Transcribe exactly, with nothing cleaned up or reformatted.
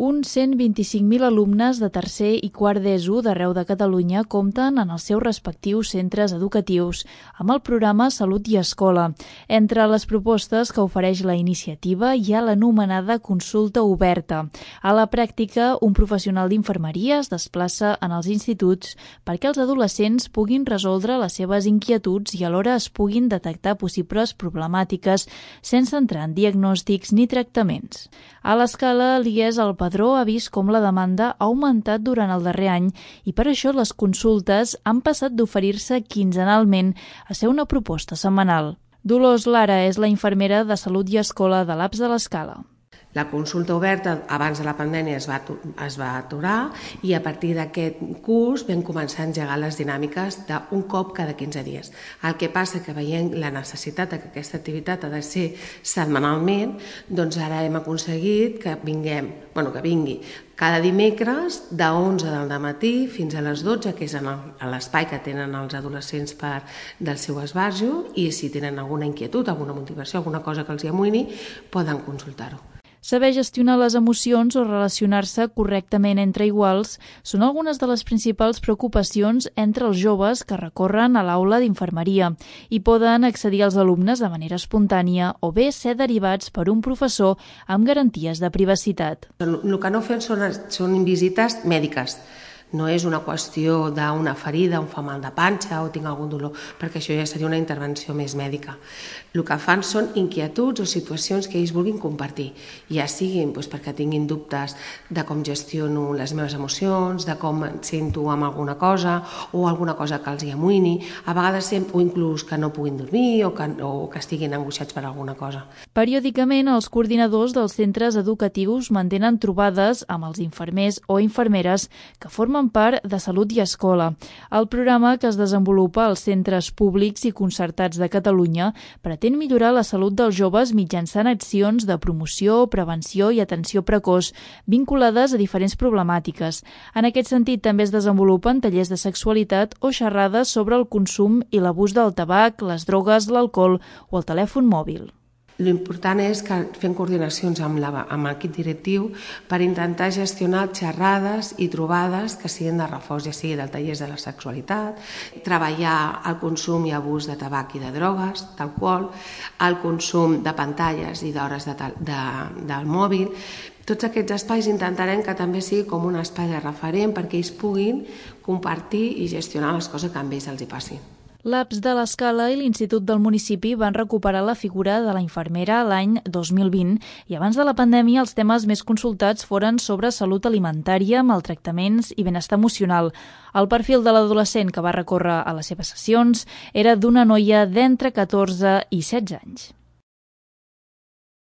Uns cent vint-i-cinc mil alumnes de tercer i quart d'ESO d'arreu de Catalunya compten en els seus respectius centres educatius amb el programa Salut i Escola. Entre les propostes que ofereix la iniciativa hi ha l'anomenada consulta oberta. A la pràctica, un professional d'infermeria es desplaça en els instituts perquè els adolescents puguin resoldre les seves inquietuds i alhora es puguin detectar possibles problemàtiques sense entrar en diagnòstics ni tractaments. A l'Escala, l'I E S al Padró ha vist com la demanda ha augmentat durant el darrer any i per això les consultes han passat d'oferir-se quinzenalment a ser una proposta setmanal. Dolors Lara és la infermera de Salut i Escola de l'A P S de l'Escala. La consulta oberta abans de la pandèmia es va, es va aturar i a partir d'aquest curs vam començar a engegar les dinàmiques d'un cop cada quinze dies. El que passa que veient la necessitat que aquesta activitat ha de ser setmanalment, doncs ara hem aconseguit que vinguem, bueno, que vingui cada dimecres de onze del dematí fins a les dotze, que és en l'espai que tenen els adolescents per del seu esbarjo, i si tenen alguna inquietud, alguna motivació, alguna cosa que els hi amoïni, poden consultar-ho. Saber gestionar les emocions o relacionar-se correctament entre iguals són algunes de les principals preocupacions entre els joves que recorren a l'aula d'infermeria i poden accedir als alumnes de manera espontània o bé ser derivats per un professor amb garanties de privacitat. El que no fem són, són visites mèdiques. No és una qüestió d'una ferida, un fa mal de panxa o tinc algun dolor, perquè això ja seria una intervenció més mèdica. El que fan són inquietuds o situacions que ells vulguin compartir, ja siguin doncs, perquè tinguin dubtes de com gestiono les meves emocions, de com em sento amb alguna cosa o alguna cosa que els hi amoïni, a vegades o inclús que no puguin dormir o que, o que estiguin angoixats per alguna cosa. Periòdicament, els coordinadors dels centres educatius mantenen trobades amb els infermers o infermeres que formen part de Salut i Escola. El programa, que es desenvolupa als centres públics i concertats de Catalunya, pretén millorar la salut dels joves mitjançant accions de promoció, prevenció i atenció precoç vinculades a diferents problemàtiques. En aquest sentit, també es desenvolupen tallers de sexualitat o xerrades sobre el consum i l'abús del tabac, les drogues, l'alcohol o el telèfon mòbil. L'important és que fem coordinacions amb l'equip directiu per intentar gestionar xerrades i trobades que siguin de reforç, ja sigui del tallers de la sexualitat, treballar el consum i abús de tabac i de drogues, d'alcohol, el consum de pantalles i d'hores de, de, del mòbil. Tots aquests espais intentarem que també sigui com un espai de referent perquè ells puguin compartir i gestionar les coses que a ells els hi passin. L'A P S de l'Escala i l'Institut del municipi van recuperar la figura de la infermera l'any dos mil vint i abans de la pandèmia els temes més consultats foren sobre salut alimentària, maltractaments i benestar emocional. El perfil de l'adolescent que va recórrer a les seves sessions era d'una noia d'entre catorze i setze anys.